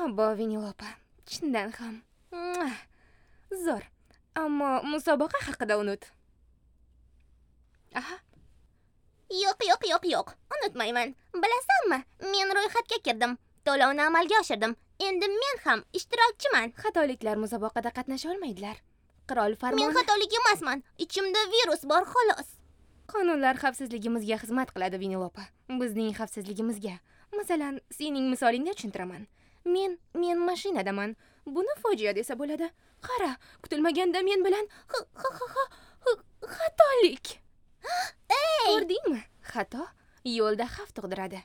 Obbo, Vinilopa, chindan ham. Zo'r. Ammo musobaqa haqida unut. Aha. Yo'q, yo'q, yo'q, yo'q. Unutmayman. Bilasanmi, men ro'yxatga kirdim. To'lovni amalga oshirdim. Endi men ham ishtirokchiman. Xatoliklar musobaqada qatnasha olmaydilar. Qirol farmoni. Men xatolik emasman. Ichimda virus bor, xolos. Qonunlar xavfsizligimizga xizmat qiladi, Vinilopa. Bizning xavfsizligimizga. Masalan, sening misolingda tushuntiraman. Men mashinadaman. Buni fojia desa bo'ladi. Qara, kutilmaganda men bilan xatolik. Ey! Ko'rdingmi? Xato yo'lda xavf tug'diradi.